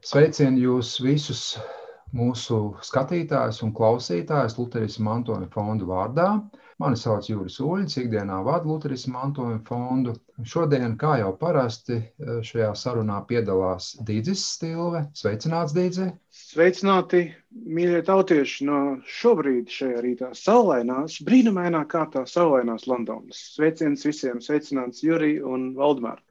Sveicinu jūs visus mūsu skatītājus un klausītājus Luterisma mantojuma fonda vārdā. Mani sauc Juris Uļģis, ikdienā vadu Luterisma mantojuma fondu. Šodien, kā jau parasti, šajā sarunā piedalās Dīdzis Stilve. Sveicināts, Dīdzi! Sveicināti, mīļie tautieši, no šobrīd šajā rītā saulainās, brīnumainā kārtā saulainās Londonas. Sveiciens visiem, sveicināts Juri un Valdemār.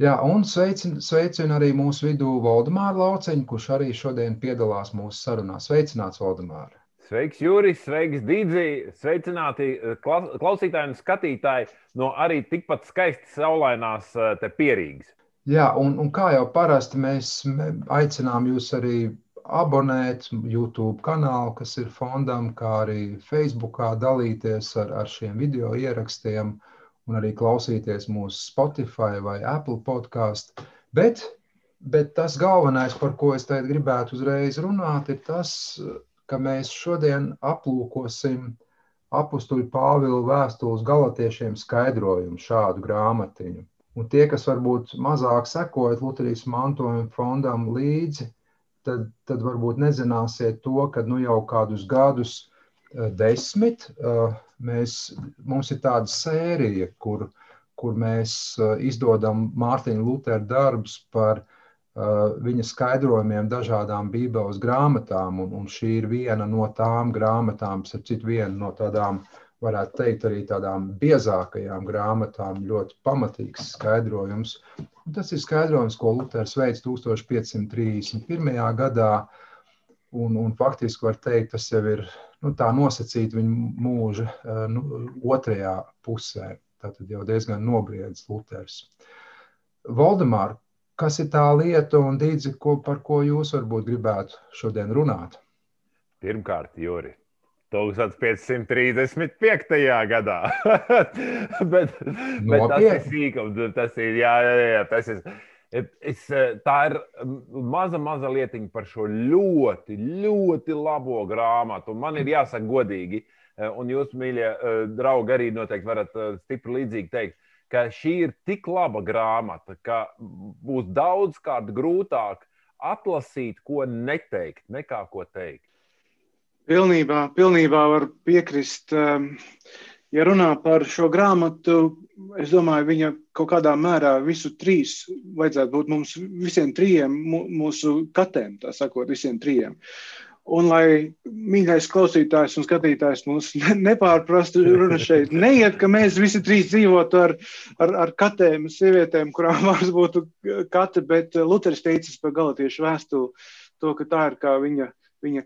Jā, un sveicinu arī mūsu vidū Valdemāru Lauceņu, kurš arī šodien piedalās mūsu sarunā. Sveicināts, Valdemār! Sveiks, Juris, sveiks, Dīdzi! Sveicināti klausītāji un skatītāji no arī tikpat skaisti saulainās te Pierīgas. Jā, un kā jau parasti mēs aicinām jūs arī abonēt YouTube kanālu, kas ir fondam, kā arī Facebookā dalīties ar šiem video ierakstiem un arī klausīties mūsu Spotify vai Apple podkāstu. Bet tas galvenais, par ko es tagad gribētu uzreiz runāt, ir tas, ka mēs šodien aplūkosim apustuļa Pāvila vēstules galatiešiem skaidrojumu šādu grāmatiņu. Un tie, kas varbūt mazāk sekojat Luterisma mantojuma fondam līdzi, tad varbūt nezināsiet to, ka jau kādus gadus 10 mums ir tāda sērija, kur mēs izdodam Mārtiņa Lutera darbus par viņa skaidrojumiem dažādām Bībeles grāmatām, un šī ir viena no tām grāmatām, viena no tādām, varētu teikt, arī tādām biezākajām grāmatām, ļoti pamatīgs skaidrojums. Un tas ir skaidrojums, ko Luters veids 1531. gadā, un faktiski var teikt, tas jau ir tā nosacīt viņa mūža otrajā pusē. Tātad jau diezgan nobriedis Luters. Valdemār, kas ir tā lieta un Dīdzi, par ko jūs varbūt gribētu šodien runāt? Pirmkārt, Juri, 1535. gadā. bet tas ir sīkums, tas ir, jā, tas ir... Tā ir maza lietiņa par šo ļoti, ļoti labo grāmatu. Man ir jāsaka godīgi, un jūs, mīļie draugi, arī noteikti varat stipri līdzīgi teikt, ka šī ir tik laba grāmata, ka būs daudzkārt grūtāk atlasīt, ko neteikt, nekā ko teikt. Pilnībā var piekrist. Ja runā par šo grāmatu, es domāju, viņa kaut kādā mērā visu trīs vajadzētu būt mums visiem trijiem, mūsu katēm, tā sakot, visiem trijiem. Un lai mīļais klausītājs un skatītājs mūs nepārprastu, runa šeit neiet, ka mēs visi trīs dzīvotu ar katēm, sievietēm, kurām vārds būtu kate, bet Luteris teicis par galatiešu vēstuli to, ka tā ir kā viņa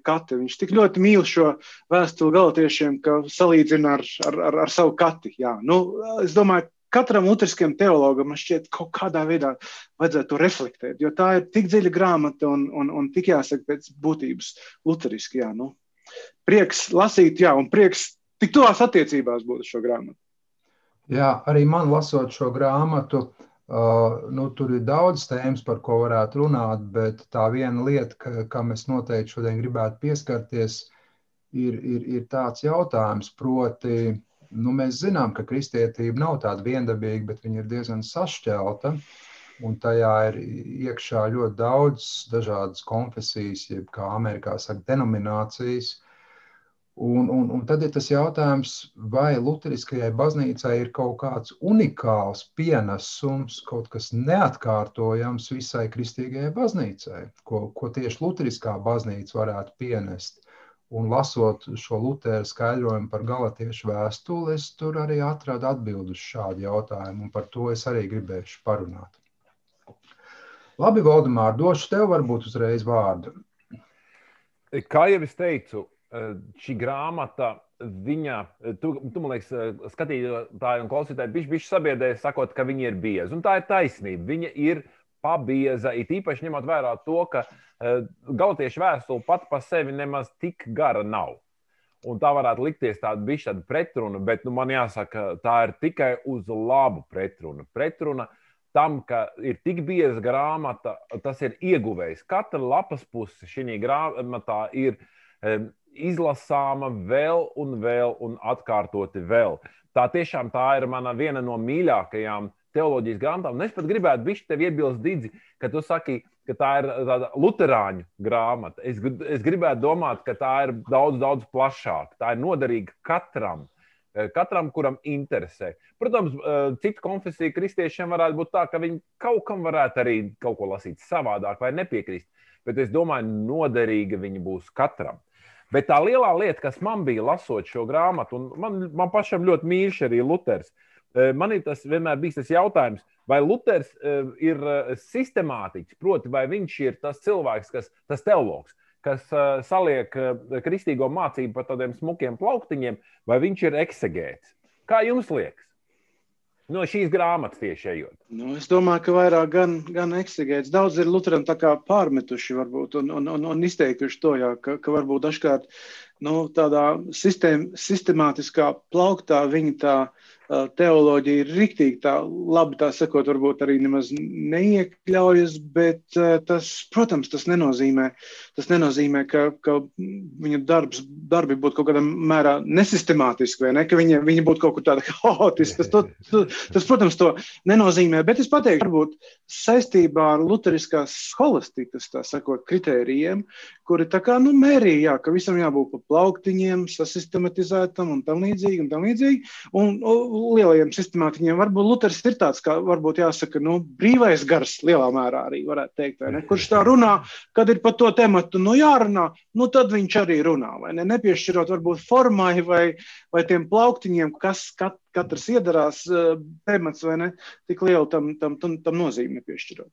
kate. Viņš tik ļoti mīl šo vēstuli galatiešiem, ka salīdzina ar savu kati. Jā. Es domāju, katram luteriskajam teologam man šķiet kaut kādā veidā vajadzētu to reflektēt, jo tā ir tik dziļa grāmata un tik jāsaka pēc būtības luteriski. Jā. Prieks lasīt, jā, un prieks tik tuvās attiecībās būt šo grāmatu. Jā, arī man lasot šo grāmatu, tur ir daudz tēmas, par ko varētu runāt, bet tā viena lieta, kam es noteikti šodien gribētu pieskarties, ir tāds jautājums, proti, mēs zinām, ka kristietība nav tāda viendabīga, bet viņa ir diezgan sašķelta, un tajā ir iekšā ļoti daudz dažādas konfesijas, jeb kā Amerikā saka, denominācijas. Un tad ir tas jautājums, vai luteriskajai baznīcai ir kaut kāds unikāls pienesums, kaut kas neatkārtojams visai kristīgajai baznīcai, ko tieši luteriskā baznīca varētu pienest. Un lasot šo Lutera skaidrojumu par galatiešu vēstuli, es tur arī atradu atbildi uz šādu jautājumu, un par to es arī gribēšu parunāt. Labi, Valdemār, došu tev varbūt uzreiz vārdu. Kā jau es teicu, šī grāmata, tu man liekas, skatītāji un klausītāji bišķi sabiedrēja, sakot, ka viņa ir bieza. Un tā ir taisnība. Viņa ir pabieza, it īpaši ņemot vērā to, ka galatiešu vēstule pat pa sevi nemaz tik gara nav. Un tā varētu likties tāda pretruna, bet man jāsaka, tā ir tikai uz labu pretruna. Pretruna tam, ka ir tik bieza grāmata, tas ir ieguvējs. Katra lapas puse šī grāmatā ir izlasāma vēl un atkārtoti vēl. Tā tiešām tā ir viena no mīļākajām teoloģijas grāmatām. Un es pat gribētu bišķi tev iebilst, Dīdzi, ka tu saki, ka tā ir tāda luterāņu grāmata. Es gribētu domāt, ka tā ir daudz, daudz plašāka. Tā ir noderīga katram, kuram interesē. Protams, citu konfesiju kristiešiem varētu būt tā, ka viņi kaut kam varētu arī kaut ko lasīt savādāk vai nepiekrist. Bet es domāju, noderīga viņa būs katram. Bet tā lielā lieta, kas man bija lasot šo grāmatu, un man pašam ļoti mīļš arī Luters, man ir vienmēr bijis tas jautājums, vai Luters ir sistemātiķis, proti, vai viņš ir tas cilvēks, tas teologs, kas saliek kristīgo mācību par tādiem smukiem plauktiņiem, vai viņš ir eksegēts. Kā jums liekas? No šīs grāmatas tieši ejot. Es domāju, ka vairāk gan eksegēts. Daudz ir Luteram tā kā pārmetuši varbūt un izteikuši to, jā, ka varbūt dažkārt tādā sistemātiskā plauktā viņa tā teoloģija ir riktīgi tā labi, tā sakot, varbūt arī nemaz neiekļaujas, bet tas, protams, tas nenozīmē, ka viņa darbi būtu kaut kādā mērā nesistemātiski, vai ne, ka viņa būtu kaut kur tāda haotiska. Tas, protams, to nenozīmē, bet es pateiktu, varbūt saistībā ar luteriskās scholastikas, tā sakot, kritērijiem, kuri tā kā, mērīja, ka visam jābūt pa plauktiņiem, sasistematizētam un tam līdzīgi, un lielajiem sistemātiķiem. Varbūt Luters ir tāds, kā varbūt jāsaka, brīvais gars lielā mērā arī varētu teikt, vai ne? Kurš tā runā, kad ir par to tematu, jārunā, tad viņš arī runā, vai ne? Nepiešķirot varbūt formai vai tiem plauktiņiem, kas katrs iedarās temats, vai ne? Tik lielu tam nozīmi nepiešķirot.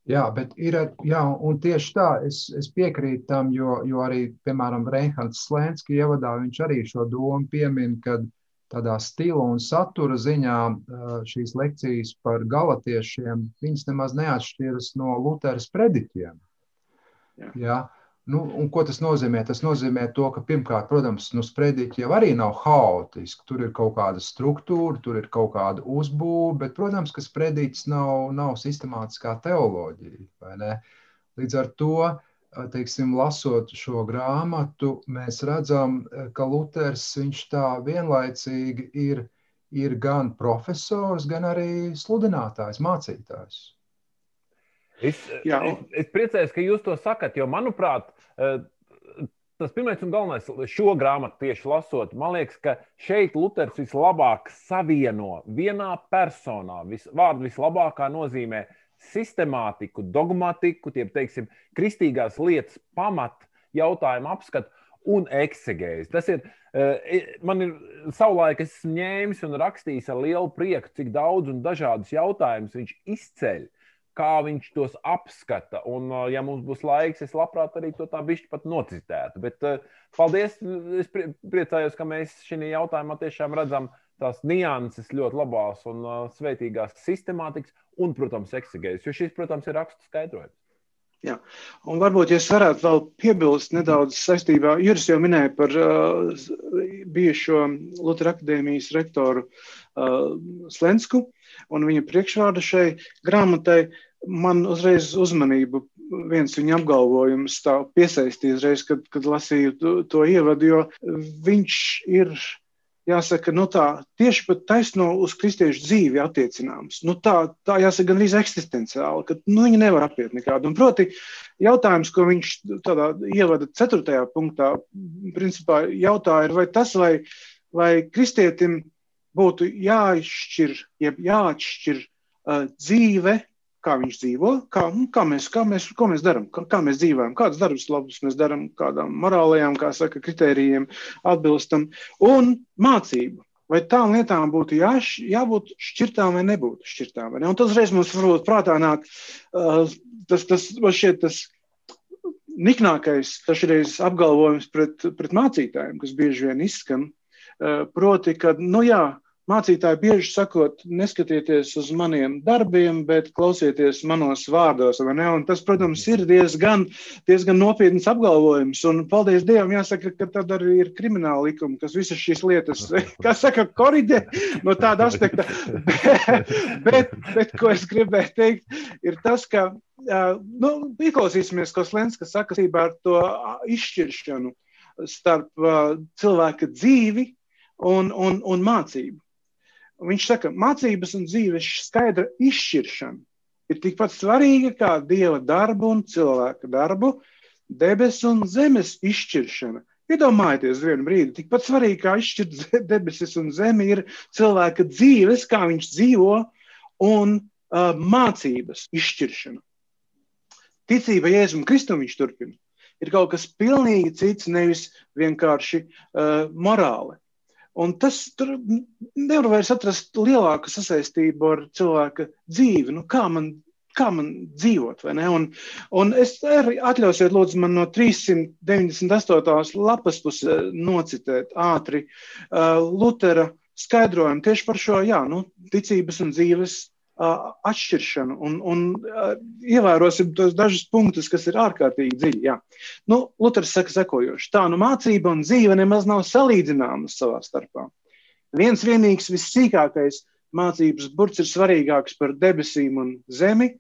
Jā, bet un tieši tā, es piekrītu tam, jo arī, piemēram, Reinhards Slenski ievadā viņš arī šo domu piemin, kad tādā stila un satura ziņā šīs lekcijas par galatiešiem, viņas nemaz neatšķiras no Luteras prediķiem. Jā. Un ko tas nozīmē? Tas nozīmē to, ka pirmkārt, protams, sprediķi jau arī nav haotiski. Tur ir kaut kāda struktūra, tur ir kaut kāda uzbūve, bet, protams, ka sprediķis nav sistemātiskā teoloģija, vai ne? Līdz ar to, teiksim, lasot šo grāmatu, mēs redzam, ka Luters, viņš tā vienlaicīgi ir gan profesors, gan arī sludinātājs, mācītājs. Es priecājos, ka jūs to sakat, jo, manuprāt, tas pirmais un galvenais šo grāmatu tieši lasot, man liekas, ka šeit Luters vislabāk savieno vienā personā, vārdu vislabākā nozīmē sistemātiku, dogmatiku, teiksim, kristīgās lietas pamat jautājumu apskatu un eksegēzi. Tas ir, man ir savulaik esmu ņēmis un rakstījis ar lielu prieku, cik daudz un dažādus jautājumus viņš izceļ, kā viņš tos apskata. Un, ja mums būs laiks, es labprāt arī to tā bišķi pat nocitētu. Bet paldies, es priecājos, ka mēs šī jautājumā tiešām redzam tās nianses ļoti labās un svētīgās sistemātikas un, protams, eksegēzes, jo šis, protams, ir rakstu skaidrojums. Jā, un varbūt, ja es varētu vēl piebilst nedaudz saistībā, Juris jau minēja par bijušo Lutera akadēmijas rektoru Slensku un viņa priekšvārdu šai grāmatai. Man uzreiz uzmanību viens viņa apgalvojums tā piesaistīja uzreiz, kad lasīju to ievadu, jo viņš ir, jāsaka, tā tieši pat taisno uz kristiešu dzīvi attiecināms. Tā jāsaka gan arī eksistenciāli, ka viņi nevar apiet nekādu. Un proti jautājums, ko viņš tādā ievada 4. punktā, principā jautāja, vai tas, vai kristietim būtu jāatšķir dzīve, kā viņš dzīvo, ko mēs darām, kā mēs dzīvojam, kādas darbus labus mēs darām, kādām morālajām, kā saka, kritērijiem atbilstam, un mācību. Vai tām lietām būtu jābūt šķirtām vai nebūtu šķirtām? Vai ne? Un tas reiz mums varbūt prātā nāk, tas niknākais tašreiz apgalvojums pret mācītājiem, kas bieži vien izskan, proti, ka, mācītāji bieži sakot, neskatieties uz maniem darbiem, bet klausieties manos vārdos, vai ne? Un tas, protams, ir diezgan nopietns apgalvojums. Un paldies Dievam, jāsaka, ka tad arī ir krimināla likuma, kas visas šīs lietas, kā saka, koriģē no tāda aspekta. Bet, ko es gribēju teikt, ir tas, ka, ieklausīsimies, ko Slenska saka ar to izšķiršanu starp cilvēka dzīvi un mācību. Viņš saka, mācības un dzīves skaidra izšķiršana ir tikpat svarīga kā Dieva darbu un cilvēka darbu, debesu un zemes izšķiršana. Iedomājieties vienu brīdi, tikpat svarīgi kā izšķirt debesis un zemi ir cilvēka dzīves, kā viņš dzīvo, un mācības izšķiršana. Ticība Jēzum Kristum, viņš turpina, ir kaut kas pilnīgi cits, nevis vienkārši morāli. Un tas tur nevar vairs atrast lielāku sasaistību ar cilvēka dzīvi. Nu, kā man dzīvot, vai ne? Un es arī atļausiet, lūdzu, man no 398. lapas puses nocitēt ātri Lutera skaidrojumu tieši par šo, ticības un dzīves atšķiršanu. Un ievērosim tos dažus punktus, kas ir ārkārtīgi dziļi. Jā. Luters saka sekojoši. Tā, mācība un dzīve nemaz nav salīdzināmas savā starpā. Viens vienīgs vissīkākais mācības burts ir svarīgāks par debesīm un zemi,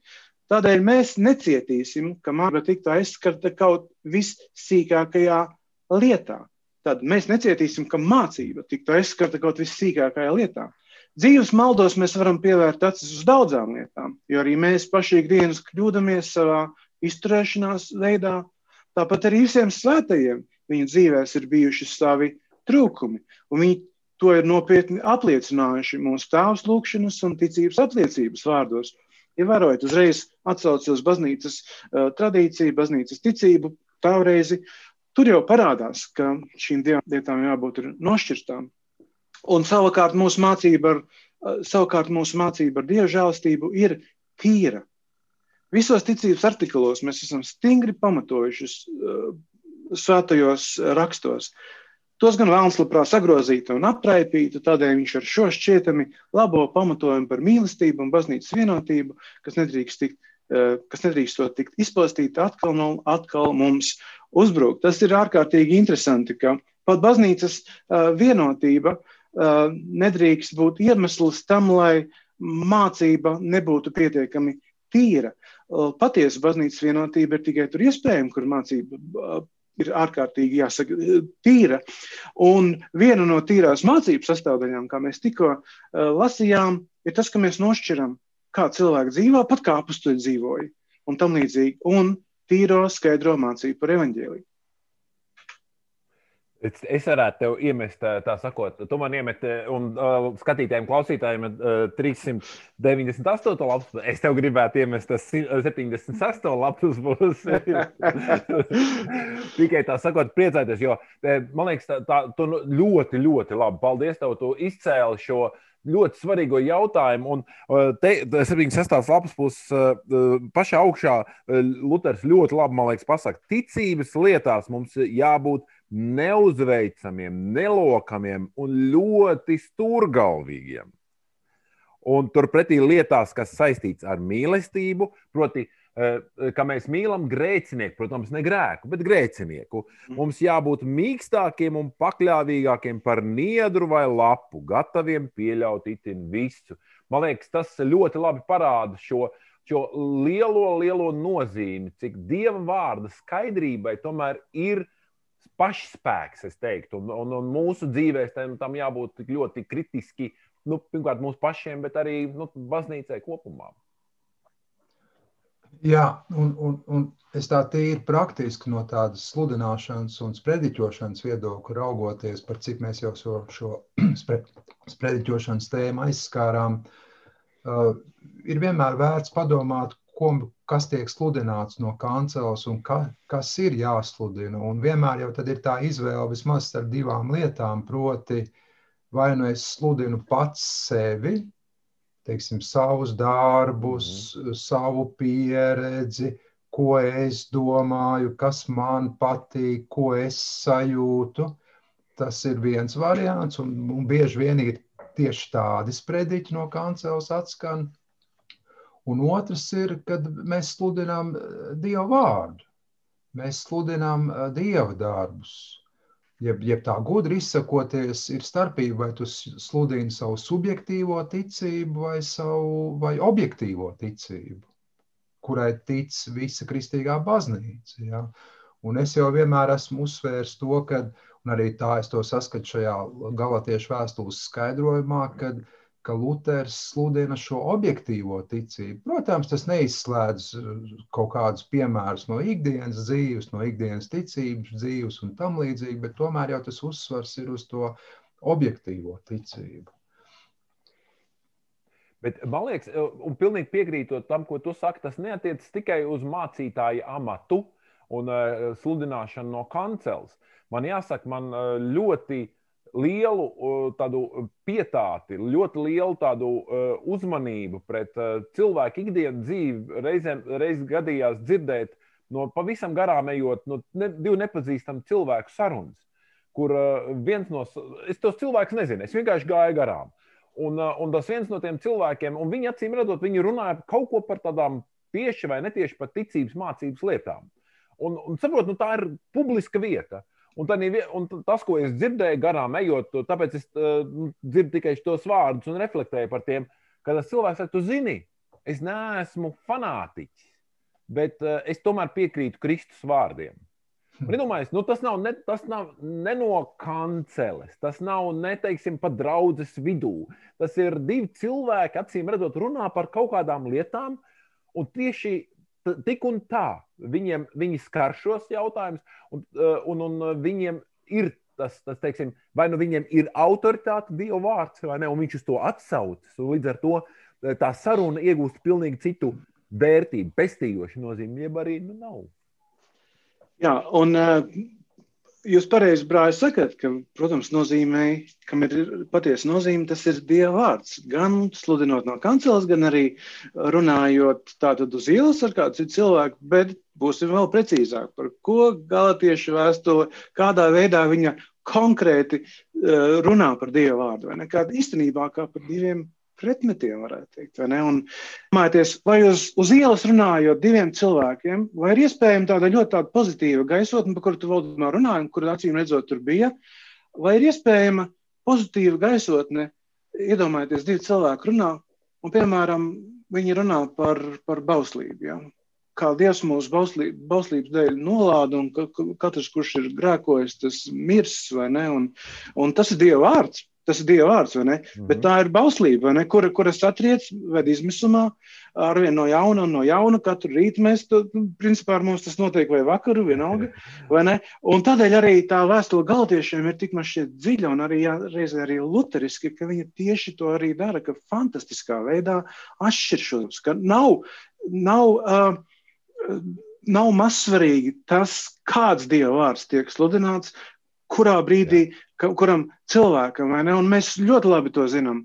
tādēļ mēs necietīsim, ka mācība tiktu aizskarta kaut vissīkākajā lietā. Tad mēs necietīsim, ka mācība tiktu aizskarta kaut vissīkākajā lietā. Dzīves maldos mēs varam pievērt acis uz daudzām lietām, jo arī mēs paši ikdienas kļūdamies savā izturēšanās veidā. Tāpat arī visiem svētajiem viņu dzīvēs ir bijuši savi trūkumi, un viņi to ir nopietni apliecinājuši mūsu tēvs lūgšanas un ticības apliecības vārdos. Ievērojot, uzreiz atsaucos baznīcas tradīciju, baznīcas ticību, tāvreizi tur jau parādās, ka šīm divām lietām jābūt ir nošķirtām. Un savukārt mūsu mācība ar Dieva žēlastību ir tīra. Visos ticības artikulos mēs esam stingri pamatojuši svētajos rakstos. Tos gan vēlns labprāt sagrozītu un apraipītu, tādēļ viņš ar šo šķietami labo pamatojumu par mīlestību un baznīcas vienotību, kas nedrīkst to tikt izpostīti atkal mums uzbrukt. Tas ir ārkārtīgi interesanti, ka pat baznīcas vienotība nedrīkst būt iemesls tam, lai mācība nebūtu pietiekami tīra. Patiesa baznīcas vienotība ir tikai tur iespējama, kur mācība ir ārkārtīgi tīra. Un viena no tīrās mācības sastāvdaļām, kā mēs tikko lasījām, ir tas, ka mēs nošķiram, kā cilvēki dzīvo, pat kā apustuļi dzīvoja, un tam līdzīgi, un tīro skaidro mācību par evaņģēliju. Es varētu tev iemest, tā sakot, tu man iemet un skatītājiem, klausītājiem 398. lapus, es tev gribētu iemest 76. lapus būs. Tikai tā sakot, priecāties, jo man liekas, tu ļoti, ļoti labi. Paldies tev, tu izcēli šo ļoti svarīgo jautājumu. Un te 76. lapas puses pašā augšā Luters ļoti labi, man liekas, pasaka, ticības lietās mums jābūt neuzveicamiem, nelokamiem un ļoti stūrgalvīgiem. Un turpretī lietās, kas saistīts ar mīlestību, proti, ka mēs mīlam grēcinieku, protams, ne grēku, bet grēcinieku. Mums jābūt mīkstākiem un pakļāvīgākiem par niedru vai lapu, gataviem pieļaut itin visu. Man liekas, tas ļoti labi parāda šo lielo nozīmi, cik Dieva vārda skaidrībai tomēr ir pašspēks, es teiktu, un mūsu dzīvēs tam jābūt tik ļoti kritiski, pirmkārt mūsu pašiem, bet arī baznīcai kopumā. Jā, un es tā tīri praktiski no tādas sludināšanas un sprediķošanas viedokļa raugoties, par cik mēs jau šo sprediķošanas tēmu aizskārām, ir vienmēr vērts padomāt, kas tiek sludināts no kanceles un kas ir jāsludina. Un vienmēr jau tad ir tā izvēle vismaz starp divām lietām, proti vai nu es sludinu pats sevi, teiksim, savus darbus, savu pieredzi, ko es domāju, kas man patīk, ko es sajūtu. Tas ir viens variants, un bieži vien ir tieši tādi sprediķi no kanceles atskan. Un otrs ir, kad mēs sludinām Dieva vārdu. Mēs sludinām Dieva darbus. Jeb tā gudri izsakoties, ir starpība, vai tu sludini savu subjektīvo ticību vai objektīvo ticību, kurai tic visa kristīgā baznīca. Ja? Un es jau vienmēr esmu uzsvērs to, un arī tā es to saskatu šajā Galatiešu vēstules skaidrojumā, ka Luters sludina šo objektīvo ticību. Protams, tas neizslēdz kaut kādus piemērus no ikdienas dzīves, no ikdienas ticības dzīves un tam līdzīgi, bet tomēr jau tas uzsvars ir uz to objektīvo ticību. Bet man liekas, un pilnīgi piekrītot tam, ko tu saki, tas neatiecas tikai uz mācītāja amatu un sludināšanu no kanceles. Man jāsaka, man ļoti lielu tādu pietāti, ļoti lielu tādu uzmanību pret cilvēku ikdienas dzīvi reiz gadījās dzirdēt no pavisam garām ejot no divu nepazīstamu cilvēku sarunas, kur viens no... Es tos cilvēkus nezinu, es vienkārši gāju garām. Un tas viens no tiem cilvēkiem, un viņi acīm redzot, viņi runāja kaut ko par tādām tieši vai netieši par ticības mācības lietām. Un saprot, tā ir publiska vieta. Un tas, ko es dzirdēju garām ejot, tāpēc es dzirdu tikai tos vārdus un reflektēju par tiem, ka tas cilvēks saka, tu zini, es neesmu fanātiķis, bet es tomēr piekrītu Kristus vārdiem. Un iedomājies, tas nav ne no kanceles, tas nav neteiksim pat draudzes vidū. Tas ir divi cilvēki, acīm redzot, runā par kaut kādām lietām, un tieši tik un tā viņi skar šos jautājumus, un viņiem ir tas teiksim, vai nu viņiem ir autoritāte Dieva vārds, vai ne, un viņš uz to atsaucas, un līdz ar to tā saruna iegūst pilnīgi citu vērtību, pestījošu nozīmi, jeb arī nav. Jā, un jūs pareizi, brāļi, sakat, ka, protams, nozīmē, kam ir patiesa nozīme, tas ir Dieva vārds. Gan sludinot no kanceles, gan arī runājot tātad uz ielas ar kādu citu cilvēku, bet būsim vēl precīzāk, par ko Galatiešu vēstule, kādā veidā viņa konkrēti runā par Dieva vārdu, vai ne? Kā īstenībā kā par diviem pretmetiem, varētu teikt, vai ne? Un domājieties, vai uz ielas runājot diviem cilvēkiem, vai ir iespējama tāda ļoti pozitīva gaisotne, par kuru tu valdumā runāji, un kur acīm redzot tur bija, vai ir iespējama pozitīva gaisotne, iedomājieties, divi cilvēki runā, un, piemēram, viņi runā par bauslību, ja? Kā Dievs mūsu bauslības dēļ nolāda, un katrs, kurš ir grēkojis, tas mirs, vai ne? Un tas ir Dieva vārds. Tas ir Dieva vārds, vai ne? Bet tā ir bauslība, vai ne? Kura satriec, ved izmisumā, arvien no jauna, katru rītu mēs, principā ar mums tas notiek vai vakaru, vienalga, vai ne? Un tādēļ arī tā vēstule Galatiešiem ir tik man šķiet dziļa, un arī reizē arī luteriski, ka viņa tieši to arī dara, ka fantastiskā veidā atšķir šos, ka nav mazsvarīgi tas, kāds Dieva vārds tiek sludināts, kurā brīdī, kuram cilvēkam, vai ne? Un mēs ļoti labi to zinām,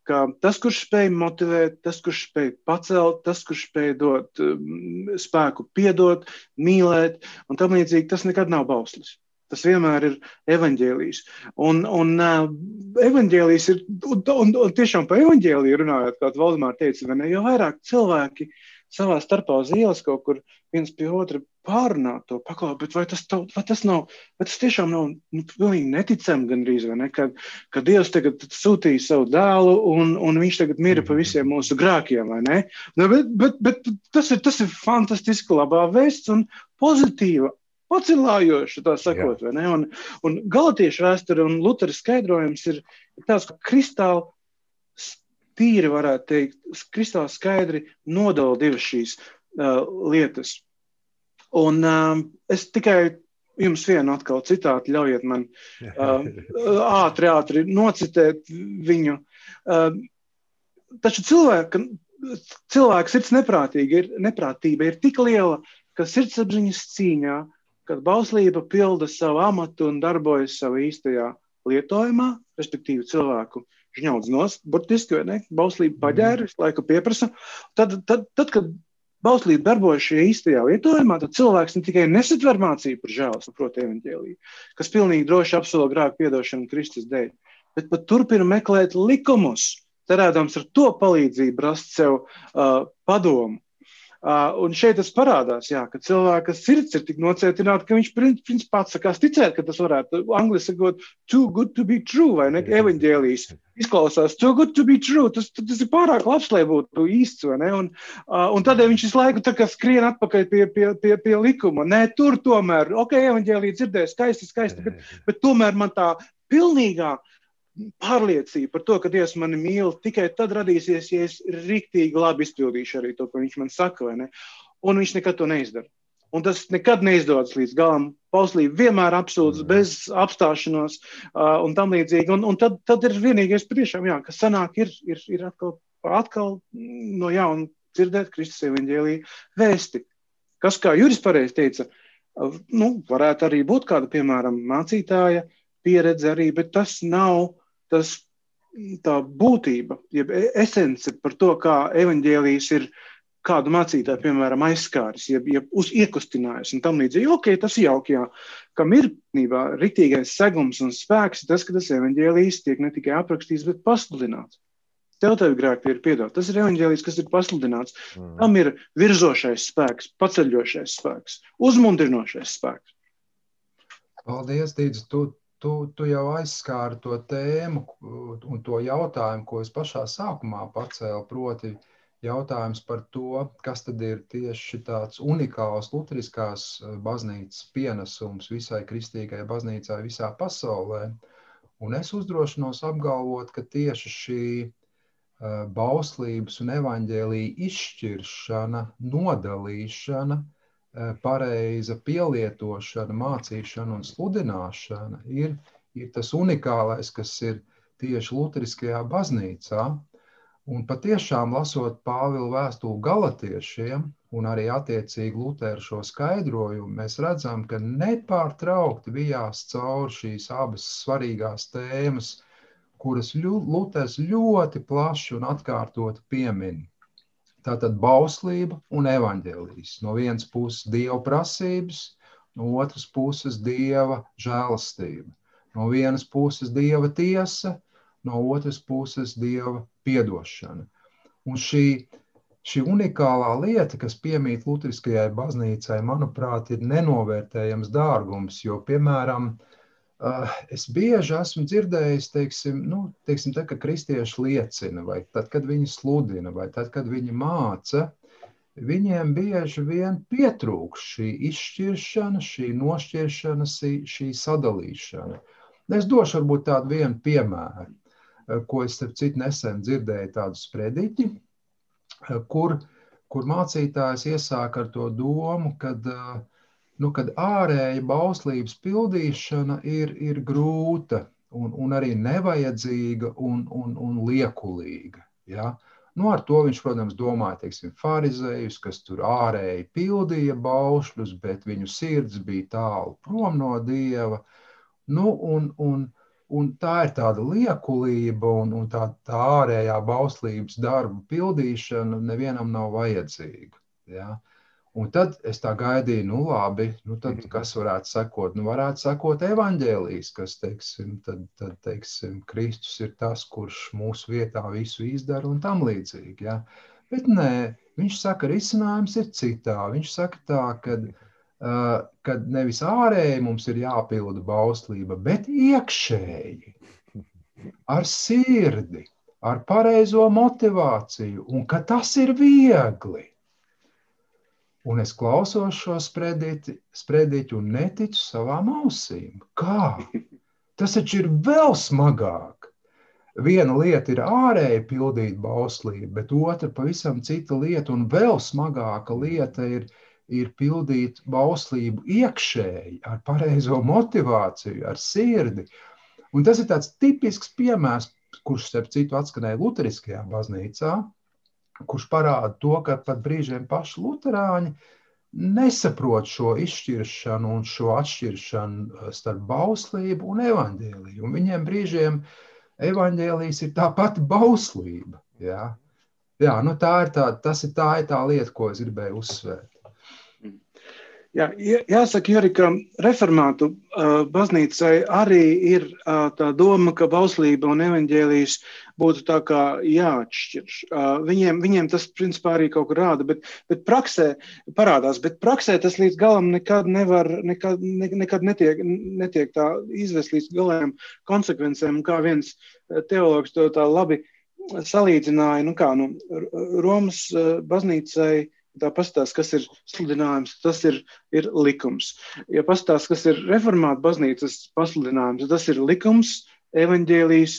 ka tas, kurš spēj motivēt, tas, kurš spēj pacelt, tas, kurš spēj dot spēku piedot, mīlēt, un tam līdzīgi, tas nekad nav bauslis. Tas vienmēr ir evaņģēlijs. Un evaņģēlijs ir, un tiešām pa evaņģēliju runājot, kā Valdemār teica, vai ne? Jo vairāk cilvēki savā starpā uz ielas kaut kur viens pie otra pārunāt to paklāt, bet vai tas tiešām nav pilnīgi neticami gandrīz, vai ne? Ka Dievs tagad sūtīja savu dēlu un viņš tagad mira pa visiem mūsu grēkiem, vai ne? Bet tas ir fantastiski labā vēsts un pozitīva, pacilājoša, tā sakot, vai ne? Un Galatiešu vēsture un Lutera skaidrojums ir tāds, ka kristāli tīri varētu teikt, kristāli skaidri nodala divas šīs lietas. Un es tikai jums vienu atkal citātu, ļaujiet man ātri nocitēt viņu. Taču cilvēka sirds neprātība ir tik liela, ka sirdsapziņas cīņā, kad bauslība pilda savu amatu un darbojas savu īstajā lietojumā, respektīvi cilvēku žņaudz nost, burtiski, vai ne? Bauslība paģēra, visu laiku pieprasa. Tad, kad bauslība darbojas šajā īstajā lietojumā, tad cilvēks ne tikai nesatver mācību par žēlastību, proti evaņģēliju, kas pilnīgi droši apsola grēku piedošanu Kristus dēļ, bet pat turpina meklēt likumus, cerēdams ar to palīdzību rast sev padomu. Un šeit tas parādās, jā, ka cilvēka sirds ir tik nocietināta, ka viņš principā atsakās ticēt, ka tas varētu, angliski sakot, too good to be true, vai ne, evaņģēlijs izklausās, too good to be true, tas ir pārāk labs, lai būtu īsts, vai ne, un tādēļ viņš visu laiku tā kā skrien atpakaļ pie likuma, nē, tur tomēr, ok, evaņģēlī dzirdēja skaisti, bet tomēr man tā pilnīgā pārliecība par to, ka Dievs mani mīl, tikai tad radīsies, ja es riktīgi labi izpildīšu arī to, ko viņš man saka, vai ne? Un viņš nekad to neizdara. Un tas nekad neizdodas līdz galam. Bauslība vienmēr apsūdz bez apstāšanos un tam līdzīgi. Un tad ir vienīgais priešām, jā, ka sanāk ir atkal no jauna dzirdēt Kristus evaņģēlija vēsti. Kas, kā Juris pareizi teica, varētu arī būt kāda, piemēram, mācītāja pieredze arī, bet tas nav tā būtība, jeb esence par to, kā evaņģēlijs ir kādu mācītāju, piemēram, aizskāris, jeb iekustinājis un tam līdzīgi. Ok, tas ir jauki, jā. Kam ir riktīgais segums un spēks, tas, ka tas evaņģēlijs tiek ne tikai aprakstīts, bet pasludināts. Tev grēki ir piedot. Tas ir evaņģēlijs, kas ir pasludināts. Tam ir virzošais spēks, paceļošais spēks, uzmundrinošais spēks. Paldies, Dīdz. Tu jau aizskāri to tēmu un to jautājumu, ko es pašā sākumā pacēlu, proti jautājums par to, kas tad ir tieši tāds unikāls luteriskās baznīcas pienesums visai kristīgai baznīcai visā pasaulē. Un es uzdrošinos apgalvot, ka tieši šī bauslības un evaņģēlija izšķiršana, nodalīšana, pareiza pielietošana, mācīšana un sludināšana ir tas unikālais, kas ir tieši luteriskajā baznīcā. Un patiešām lasot Pāvila vēstuli Galatiešiem un arī attiecīgi Luteru šo skaidrojumu, mēs redzam, ka nepārtraukti vijās cauri šīs abas svarīgās tēmas, kuras Luters ļoti plaši un atkārtoti piemin. Tātad bauslība un evaņģēlijs. No vienas puses Dieva prasības, no otras puses Dieva žēlastība. No vienas puses Dieva tiesa, no otras puses Dieva piedošana. Un šī unikālā lieta, kas piemīt luteriskajai baznīcai, manuprāt, ir nenovērtējams dārgums, jo, piemēram, es bieži esmu dzirdējis, teiksim, tad, kad kristieši liecina, vai tad, kad viņi sludina, vai tad, kad viņi māca, viņiem bieži vien pietrūks šī izšķiršana, šī nošķiršana, šī sadalīšana. Es došu varbūt tādu vienu piemēru, ko es starp citu nesen dzirdēju tādu sprediķi, kur mācītājs iesāk ar to domu, kad ārēja bauslības pildīšana ir grūta un arī nevajadzīga un liekulīga. Ja? Ar to viņš, protams, domāja, teiksim, farizejus, kas tur ārēji pildīja baušļus, bet viņu sirds bija tālu prom no Dieva. Un tā ir tāda liekulība un tā ārējā bauslības darbu pildīšana nevienam nav vajadzīga. Ja? Un tad es tā gaidīju, labi, tad kas varētu sekot? Varētu sekot evaņģēlijs, kas, teiksim, Kristus ir tas, kurš mūsu vietā visu izdara un tam līdzīgi. Ja? Bet nē, viņš saka, risinājums ir citā. Viņš saka tā, kad nevis ārēji mums ir jāpilda bauslība, bet iekšēji, ar sirdi, ar pareizo motivāciju, un ka tas ir viegli. Un es klausos šo sprediķu un neticu savām ausīm. Kā? Tas taču ir vēl smagāk. Viena lieta ir ārēji pildīt bauslību, bet otra pavisam cita lieta, un vēl smagāka lieta ir pildīt bauslību iekšēji, ar pareizo motivāciju, ar sirdi. Un tas ir tāds tipisks piemērs, kurš, starp citu, atskanēja luteriskajā baznīcā, kurš parāda to, ka pat brīžiem paši luterāņi nesaprot šo izšķiršanu un šo atšķiršanu starp bauslību un evaņģēliju. Un viņiem brīžiem evaņģēlijs ir tā pati bauslība. Ja? Jā, tā ir tā lieta, ko es gribēju uzsvērt. Jā, jāsaka, Juri, ka reformātu baznīcai arī ir tā doma, ka bauslība un evaņģēlijs būtu tā kā jāatšķir. Viņiem tas principā arī kaut kur rāda, bet praksē parādās, bet praksē tas līdz galam nekad netiek tā izvest līdz galējām konsekvencēm, kā viens teologs to tā labi salīdzināja, Romas baznīcai. Tā pastāst, kas ir sludinājums, tas ir likums. Ja pastāst, kas ir reformāta baznīcas pasludinājums, tas ir likums, evaņģēlijs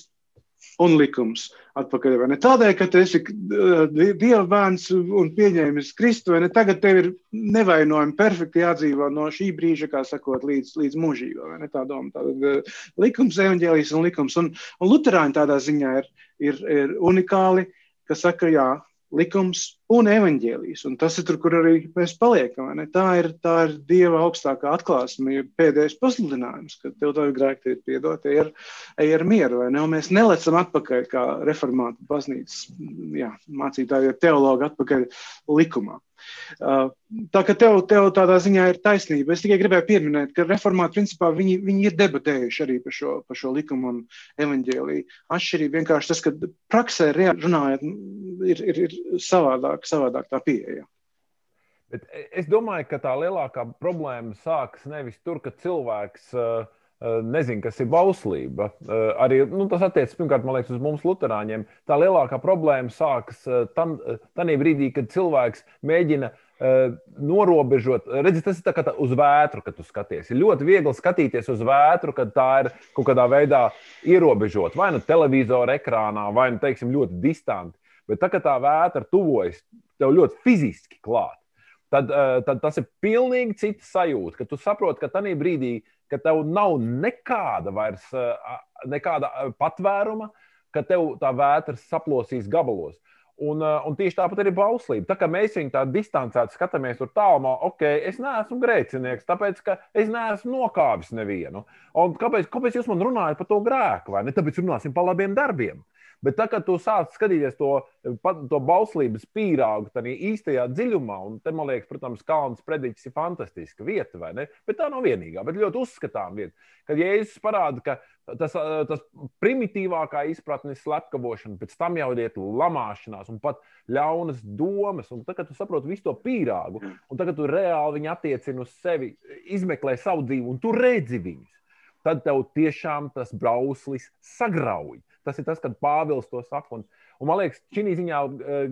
un likums atpakaļ, vai ne? Tādēļ, ka tu esi Dieva bērns un pieņēmis Kristu, vai ne? Tagad tev ir nevainojami perfekti jādzīvo no šī brīža, kā sakot, līdz mūžībā, vai ne? Tā doma, tātad likums, evaņģēlijs un likums. Un luterāņi tādā ziņā ir unikāli, ka saka, jā, likums un evaņģēlijs. Un tas ir tur, kur arī mēs paliekam. Ne? Tā ir Dieva augstākā atklāsme, pēdējais pasludinājums, ka tev tavi grēki ir piedot, ej ar mieru. Vai ne? Un mēs nelecam atpakaļ, kā reformāta baznīcas mācītāji, teologi atpakaļ likumā. Tā ka tev tādā ziņā ir taisnība. Es tikai gribēju pieminēt, ka reformāti principā viņi ir debatējuši arī par šo likumu un evaņģēliju. Atšķirība vienkārši tas, ka praksē runājot ir savādāk tā pieeja. Bet es domāju, ka tā lielākā problēma sākas nevis tur, ka cilvēks nezinu, kas ir bauslība. Arī tas attiecas, pirmkārt, man liekas, uz mums luterāņiem. Tā lielākā problēma sākas tanī brīdī, kad cilvēks mēģina norobežot. Redzi, tas ir tā kā uz vētru, kad tu skaties. Ir ļoti viegli skatīties uz vētru, kad tā ir kaut kādā veidā ierobežot. Vai nu televizora ekrānā, vai nu, teiksim, ļoti distanti. Bet tā, kad tā vētra tuvojas tev ļoti fiziski klāt, tad tas ir pilnīgi cita sajūta, ka tu saproti, ka tanī brīdī, ka tev nav nekāda patvēruma, ka tev tā vētra saplosīs gabalos. Un tieši tāpat arī bauslība. Tā kā mēs viņu tā distancēti skatāmies tur tālumā, es neesmu grēcinieks, tāpēc, ka es neesmu nokāvis nevienu. Un kāpēc jūs man runājat par to grēku, vai ne? Tāpēc runāsim par labiem darbiem. Bet tā, kad tu sāc skatīties to bauslības pīrāgu tādā īstajā dziļumā, un te, man liekas, protams, Kalnas prediķis ir fantastiska vieta, vai ne? Bet tā nav vienīgā, bet ļoti uzskatām vieta. Kad Jēzus parāda, ka tas primitīvākā izpratne ir slepkavošana, pēc tam jau iet lamāšanās un pat ļaunas domas, un tā, kad tu saproti visu to pīrāgu, un tā, kad tu reāli viņu attiecini uz sevi, izmeklē savu dzīvi, un tu redzi viņus, tad tev tiešām tas brauslis sagrauj. Tas ir tas, kad Pāvils to saka. Un man liekas, šī ziņā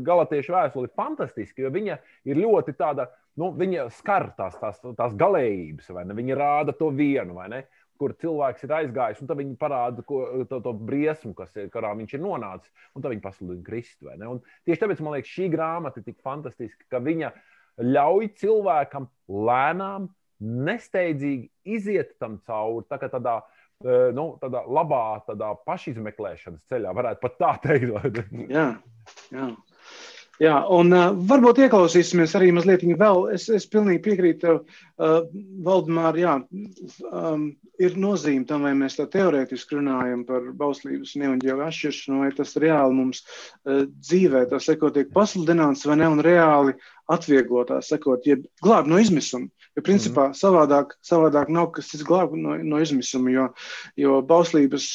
Galatiešu vēstule ir fantastiska, jo viņa ir ļoti tāda, viņa skar tās galējības, vai ne? Viņa rāda to vienu, vai ne? Kur cilvēks ir aizgājis, un tad viņi parāda to briesmu, kurā viņš ir nonācis, un tad viņi pasludina Kristu, vai ne? Un tieši tāpēc, man liekas, šī grāmata ir tik fantastiska, ka viņa ļauj cilvēkam lēnām, nesteidzīgi iziet tam cauri, tā kā tādā labā, tādā pašizmeklēšanas ceļā, varētu pat tā teikt. Jā, un varbūt ieklausīsimies arī mazliet vēl. Es pilnīgi piekrītu tev, Valdemār, ir nozīme tam, vai mēs tā teorētiski runājam par bauslības un evaņģēliju atšķiršanu, vai tas reāli mums dzīvē, tā sekot, tiek pasludināts, vai ne, un reāli atvieglot, tā sekot, jeb glāb no izmisuma. Jo principā savādāk nav, kas tas glāb no izmisuma, jo bauslības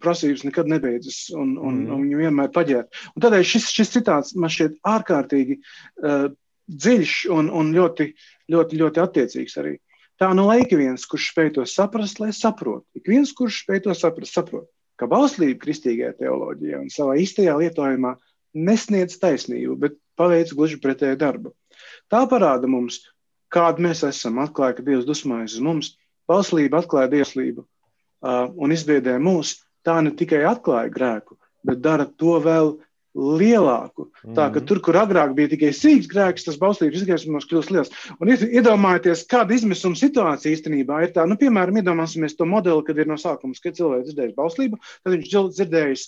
prasības nekad nebeidzas un viņi vienmēr paģēr. Un tādēļ šis citāts man šķiet ārkārtīgi dziļš un ļoti, ļoti, ļoti attiecīgs arī. Tā nu lai ik viens, kurš spēj to saprast, lai saprot. Ik viens, kurš spēj to saprast, saprot, ka bauslība kristīgajā teoloģijā un savā īstajā lietojumā nesniedz taisnību, bet paveic gluži pretēju darbu. Tā parāda mums, kādu mēs esam, atklāja, ka Dievs dusmojas uz mums, bauslība atklāja dieslību un izbiedē mūs, tā ne tikai atklāja grēku, bet dara to vēl lielāku. Tā, ka tur, kur agrāk bija tikai sīks grēks, tas bauslības izgaismos kļūst liels. Un iedomājieties, kāda izmisuma situācija īstenībā ir tā. Piemēram, iedomāsimies to modeli, kad ir no sākuma, kad cilvēks dzirdējis bauslību, tad viņš dzirdējis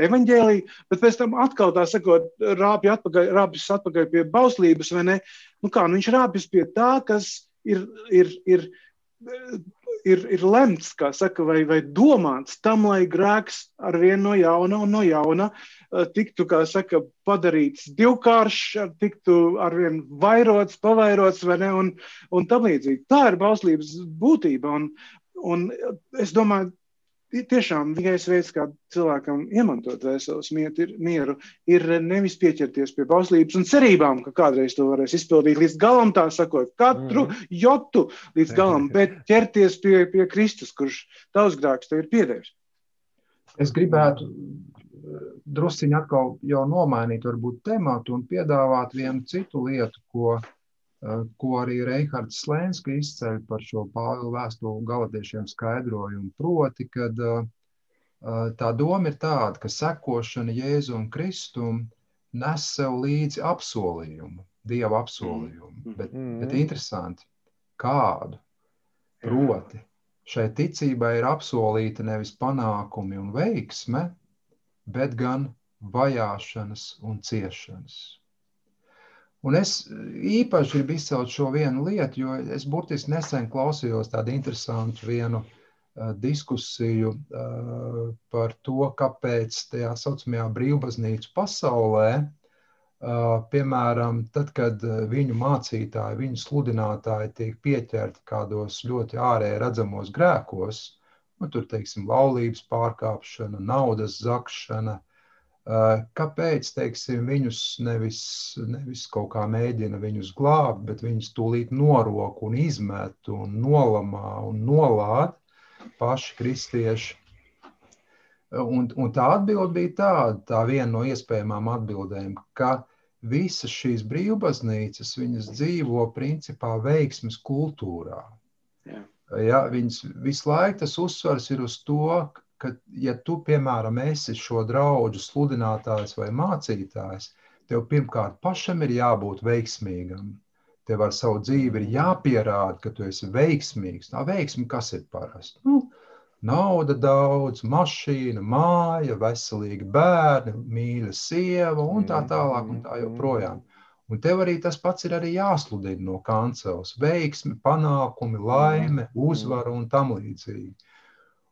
evaņģēliju, bet pēc tam atkal tā sakot, rāpjas atpakaļ pie bauslības, vai ne? Viņš rāpjas pie tā, kas ir lemts, kā saka, vai domāts tam, lai grēks arvien no jauna tiktu, kā saka, padarīts divkāršs, tiktu arvien vairots, pavairots, vai ne, un tam līdzīgi. Tā ir bauslības būtība, un es domāju, tiešām vienīgais veids, kā cilvēkam iemantot dvēseles mieru, ir nevis pieķerties pie bauslības un cerībām, ka kādreiz to varēs izpildīt līdz galam, tā sakot, katru jotu līdz galam, bet ķerties pie Kristus, kurš tavs grēks tev ir piedevis. Es gribētu drusciņi atkal jau nomainīt varbūt tematu un piedāvāt vienu citu lietu, ko arī Reihards Slēnska izceļ par šo Pāvila vēstuli Galatiešiem skaidrojumu. Proti, kad Tā doma ir tāda, ka sekošana Jēzum Kristum nes sev līdzi apsolījumu, Dieva apsolījumu. Bet interesanti, kādu? Proti, šai tīcībai ir apsolīta nevis panākumi un veiksme, bet gan vajāšanas un ciešanas. Un es īpaši gribu izcelt šo vienu lietu, jo es burtiski nesen klausījos tādu interesantu vienu diskusiju par to, kāpēc tajā saucamajā brīvbaznīcu pasaulē, piemēram, tad, kad viņu mācītāji, viņu sludinātāji tiek pieķerti kādos ļoti ārēji redzamos grēkos, tur, teiksim, laulības pārkāpšana, naudas zakšana, kāpēc, teiksim, viņus nevis kaut kā mēģina viņus glābt, bet viņus tūlīt norok un izmet un nolamā un nolād paši kristieši. Un tā atbilde bija tāda, tā viena no iespējamām atbildēm, ka visas šīs brīvbaznīcas, viņas dzīvo principā veiksmes kultūrā. Ja, viņas visu laiku tas uzsvars ir uz to, ka, ja tu, piemēram, esi šo draudžu sludinātājs vai mācītājs, tev pirmkārt pašam ir jābūt veiksmīgam. Tev ar savu dzīvi ir jāpierāda, ka tu esi veiksmīgs. Tā veiksme, kas ir parasti? Nauda daudz, mašīna, māja, veselīgi bērni, mīļa sieva un tā tālāk un tā joprojām. Un tev arī tas pats ir arī jāsludina no kancels. Veiksmi, panākumi, laime, uzvara un tam līdzīgi.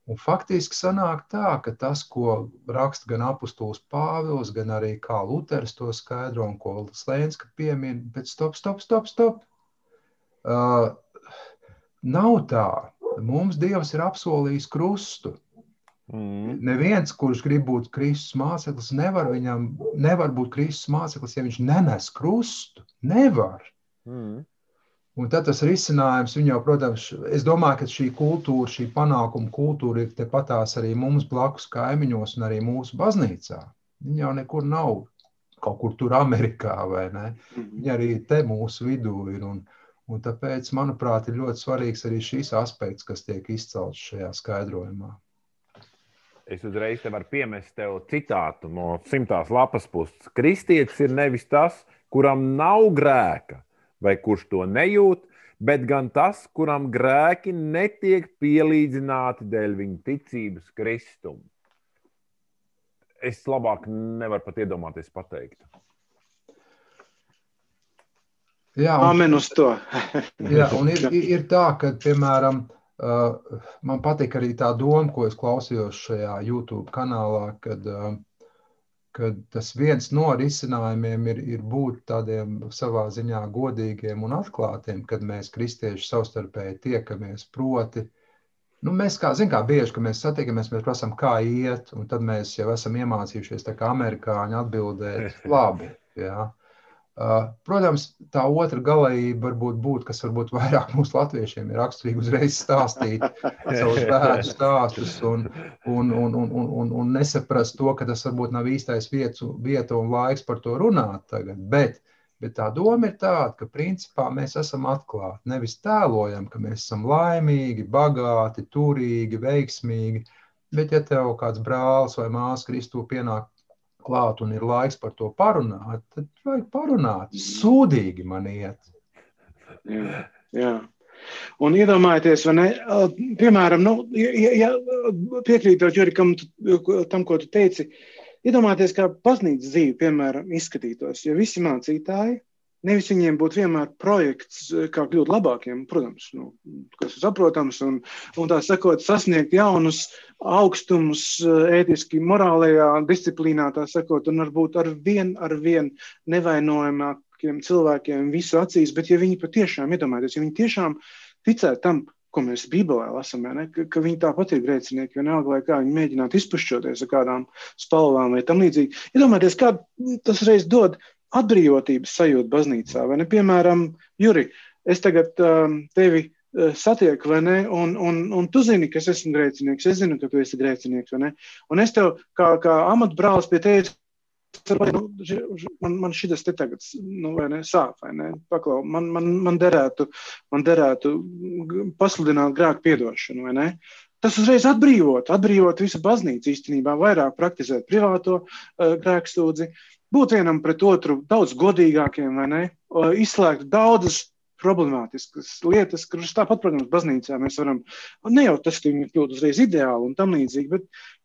Un faktiski sanāk tā, ka tas, ko raksta gan apustulis Pāvils, gan arī kā Luters to skaidro un ko Slēnska piemin, bet stop. Nav tā. Mums Dievs ir apsolījis krustu. Neviens, kurš grib būt Kristus māceklis, nevar būt Kristus māceklis, ja viņš nenes krustu. Nevar. Un tad tas risinājums, viņa jau, protams, es domāju, ka šī kultūra, šī panākuma kultūra ir tepatās arī mums blakus kaimiņos un arī mūsu baznīcā. Viņa jau nekur nav kaut kur tur Amerikā, vai ne? Viņa arī te mūsu vidū ir. Un tāpēc, manuprāt, ir ļoti svarīgs arī šīs aspekts, kas tiek izcelts šajā skaidrojumā. Es uzreiz te varu piemest tev citātu no 100. lapas puses. Kristietis ir nevis tas, kuram nav grēka, vai kurš to nejūt, bet gan tas, kuram grēki netiek pielīdzināti dēļ viņa ticības Kristum. Es labāk nevaru pat iedomāties pateikt. Jā, amen uz to. Jā, un ir tā, ka, piemēram, man patīk arī tā doma, ko es klausījos šajā YouTube kanālā, kad tas viens no risinājumiem ir būt tādiem savā ziņā godīgiem un atklātiem, kad mēs kristieši savstarpēji tiekamies, proti. Mēs kā bieži, ka mēs satiekamies, mēs prasām, kā iet, un tad mēs jau esam iemācījušies tā kā amerikāņi atbildēt labi. Jā. Protams, tā otra galējība varbūt būt, kas varbūt vairāk mūsu latviešiem ir raksturīgi uzreiz stāstīt savus bēdu stāstus un nesaprast to, ka tas varbūt nav īstais vieta un laiks par to runāt tagad. Bet tā doma ir tāda, ka principā mēs esam atklāti. Nevis tēlojam, ka mēs esam laimīgi, bagāti, turīgi, veiksmīgi, bet ja tev kāds brālis vai māsa Kristū pienāk klāt un ir laiks par to parunāt, tad vajag parunāt. Sūdīgi man iet. Jā. Un iedomājieties, vai ne, piemēram, ja piekrītot Jurikam tam, ko tu teici, iedomājieties, kā baznīcas dzīve, piemēram, izskatītos, ja visi mācītāji, nevis viņiem būtu vienmēr projekts, kā kļūt labākiem, protams, kas ir saprotams, un tā sakot, sasniegt jaunus augstumus ētiski, morālajā disciplīnā, tā sakot, un varbūt ar vien nevainojamākiem cilvēkiem visu acīs, bet ja viņi patiešām, iedomājieties, ja viņi tiešām ticētu tam, ko mēs Bībelē lasām, ka viņi tāpat ir grēcinieki, vienalga vai kā viņi mēģinātu izpušķoties ar kādām spalvām vai tam līdzīgi. Iedomājieties, kā tas reiz dod atbrīvotības sajūta baznīcā, vai ne? Piemēram, Juri, es tagad tevi satieku, vai ne? Un tu zini, ka es esmu grēcinieks, es zinu, ka tu esi grēcinieks, vai ne? Un es tev, kā amatbrālis pie tevis, man šitas te tagad, vai ne, sāp, vai ne? Paklau, man derētu pasludināt grēku piedošanu, vai ne? tas uzreiz atbrīvot visu baznīcu īstenībā, vairāk praktizēt privāto grēkstūdzi, būt vienam pret otru daudz godīgākiem, vai ne? Izslēgt daudzas problemātiskas lietas, kuras tāpat, protams, baznīcā mēs varam, ne jau tas, ka viņi kļūt uzreiz ideāli un tam līdzīgi,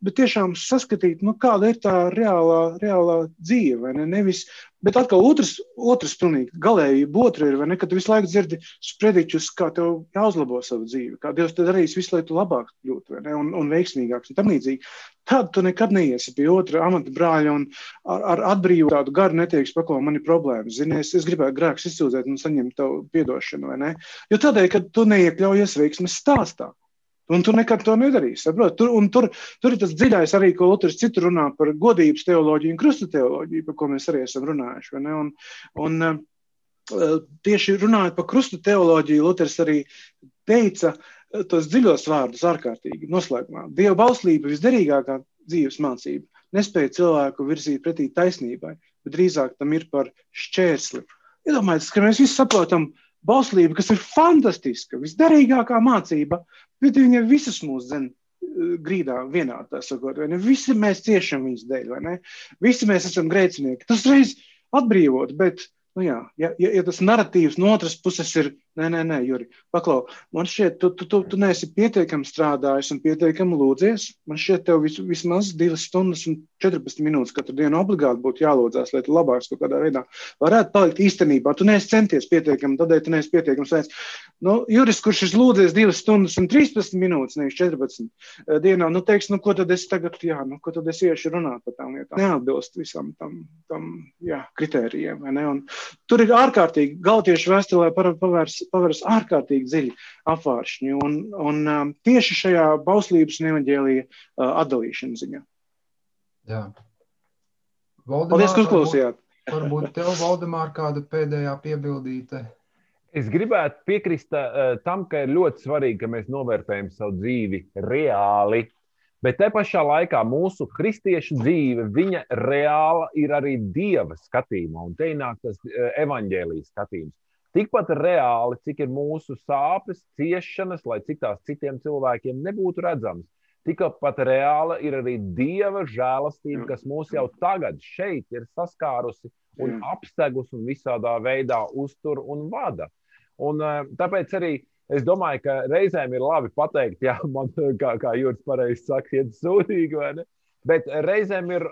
bet tiešām saskatīt, kāda ir tā reālā dzīve, vai ne? Nevis, bet atkal otrs pilnīgi galējība otra ir, vai ne, ka tu visu laiku dzirdi sprediķus, kā tev jāuzlabo savu dzīvi, kā Dievs te darīs visu, lai tu labāk kļūtu, vai ne, un veiksmīgāks un tam līdzīgi. Tad tu nekad neiesi pie otra amata brāļa un ar atbrīvu tādu garu neteiks, paklau, man ir problēmas. Zini, es gribētu grēkus izsūdzēt un saņemt tavu piedošanu, vai ne? Jo tādēļ, ka tu neiekļaujies veiksmes stāstā. Un tu nekad to nedarīsi, saprot? Tur ir tas dziļais arī, ko Luters citu runā par godības teoloģiju un krusta teoloģiju, par ko mēs arī esam runājuši, vai ne? Un tieši runājot par krusta teoloģiju, Luters arī teica tos dziļos vārdus ārkārtīgi noslēgumā. Dieva bauslība, visderīgākā dzīves mācība, nespēja cilvēku virzīt pretī taisnībai, bet drīzāk tam ir par šķērsli. Iedomājieties, ka mēs visi saprotam bauslību, kas ir fantastiska, visderīgākā mācība, bet viņa visas mūs dzen grīdā vienā, tā sakot, vai ne? Visi mēs ciešam viņas dēļ, vai ne? Visi mēs esam grēcinieki. Tas reiz atbrīvot, bet ja tas naratīvs no otras puses ir, nē, Juri, paklau, man šķiet, tu neesi pietiekami strādājis un pietiekami lūdzies, man šķiet, tev vismaz 2 stundas un 14 minūtes katru dienu obligāti būtu jālūdzās, lai tu labāks kaut kādā veidā varētu palikt īstenībā. Tu neesi centies pietiekami, tādēļ tu neesi pietiekami svēts. Juris, kurš ir lūdzies 2 stundas un 13 minūtes, nevis 14 dienā, teiks, ko tad es tagad, ko tad es iešu runāt par tām lietām. Neatbilst visam tam kritērijiem, vai ne? Un tur ir ārkārtīgi, Galatiešu vēstulē pavērs ārkārtīgi dziļi apvāršņi un tieši šajā bauslības un evaņģēlija atdalīšana ziņā. Jā. Paldies, ka uzklausījāt. Varbūt tev, Valdemār, kāda pēdējā piebildīte? Es gribētu piekrist tam, ka ir ļoti svarīgi, ka mēs novērtējam savu dzīvi reāli. Bet te pašā laikā mūsu kristiešu dzīve, viņa reāla ir arī Dieva skatījumā, un te nāk tas evaņģēlijas skatījums. Tikpat reāli, cik ir mūsu sāpes, ciešanas, lai cik tās citiem cilvēkiem nebūtu redzams. Tikpat reāla ir arī Dieva žēlastība, kas mūs jau tagad šeit ir saskārusi un apstegus un visādā veidā uztur un vada. Un tāpēc arī es domāju, ka reizēm ir labi pateikt, man, kā Juris pareizi saka, iet sūdīgi, vai ne? Bet reizēm ir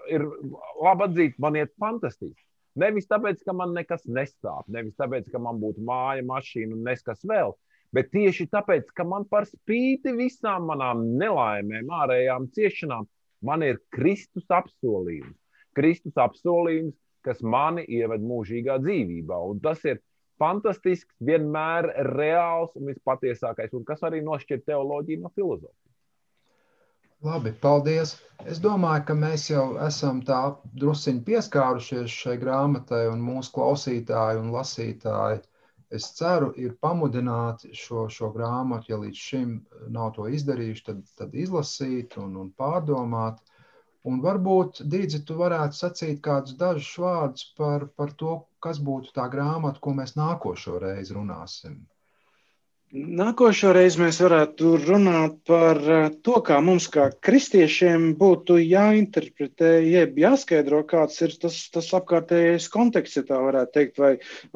labi atzīt, man iet fantastiski. Nevis tāpēc, ka man nekas nestāp, nevis tāpēc, ka man būtu māja, mašīna un neskas vēl, bet tieši tāpēc, ka man par spīti visām manām nelaimēm, ārējām ciešanām, man ir Kristus apsolījums. Kristus apsolījums, kas mani ieved mūžīgā dzīvībā, un tas ir fantastisks, vienmēr reāls un vispatiesākais, un kas arī nošķir teoloģiju no filozofijas. Labi, paldies. Es domāju, ka mēs jau esam tā drusciņi pieskārušies šai grāmatai, un mūsu klausītāji un lasītāji, es ceru, ir pamudināti šo grāmatu, ja līdz šim nav to izdarījuši, tad izlasīt un pārdomāt. Un varbūt, Dīdzi, tu varētu sacīt kādus dažus vārdus par to, kas būtu tā grāmata, ko mēs nākošo reizi runāsim. Nākošo reizi mēs varētu runāt par to, kā mums kā kristiešiem būtu jāinterpretē, jeb jāskaidro, kāds ir tas apkārtējais konteksts, ja tā varētu teikt,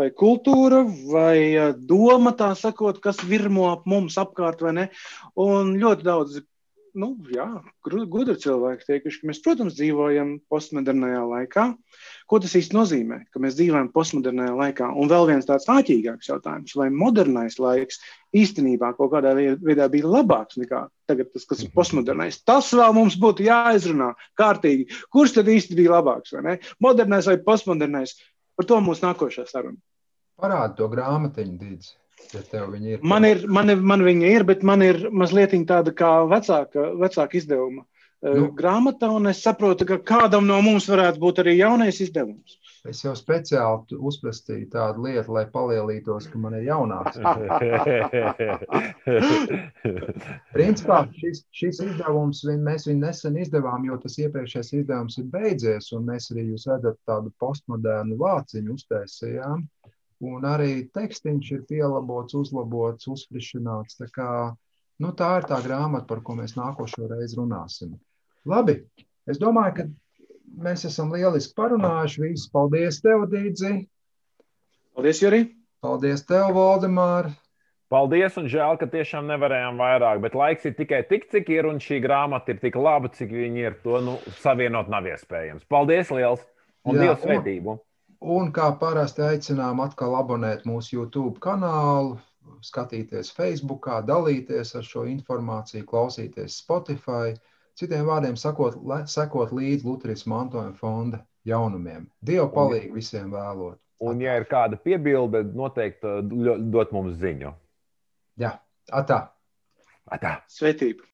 vai kultūra, vai doma, tā sakot, kas virmo ap mums apkārt, vai ne. Un ļoti daudz gudri cilvēki teikuši, ka mēs, protams, dzīvojam postmodernajā laikā. Ko tas īsti nozīmē, ka mēs dzīvojam postmodernajā laikā? Un vēl viens tāds āķīgāks jautājums, vai modernais laiks īstenībā kaut kādā veidā bija labāks nekā tagad tas, kas ir postmodernais. Tas vēl mums būtu jāizrunā kārtīgi. Kurš tad īsti bija labāks, vai ne? Modernais vai postmodernais? Par to mūsu nākošā saruna. Parādi to grāmatiņu, Dīdzi. Ja tev viņa ir. Man viņa ir, bet man ir mazliet tāda kā vecāka izdevuma grāmata, un es saprotu, ka kādam no mums varētu būt arī jaunais izdevums. Es jau speciāli uzprastīju tādu lietu, lai palielītos, ka man ir jaunāks. Principā šis izdevums, mēs viņu nesen izdevām, jo tas iepriekšējais izdevums ir beidzies, un mēs arī, jūs redzat, tādu postmodernu vāciņu uztaisījām. Un arī tekstiņš ir pielabots, uzlabots, uzfrišināts. Tā kā Nu, tā ir tā grāmata, par ko mēs nākošo reizi runāsim. Labi, es domāju, ka mēs esam lieliski parunājuši. Visus paldies tev, Dīdzi. Paldies, Juri. Paldies tev, Valdemār. Paldies, un žēl, ka tiešām nevarējām vairāk, bet laiks ir tikai tik, cik ir, un šī grāmata ir tik laba, cik viņi ir. To savienot nav iespējams. Paldies liels, un Dieva svētību! Un kā parasti aicinām atkal abonēt mūsu YouTube kanālu, skatīties Facebookā, dalīties ar šo informāciju, klausīties Spotify. Citiem vārdiem sakot, sekot līdz Lutherisma mantojuma fonda jaunumiem. Dievu palīgu visiem vēlot. Un, ja ir kāda piebilde, noteikti dot mums ziņu. Jā, atā. Atā. Svētību.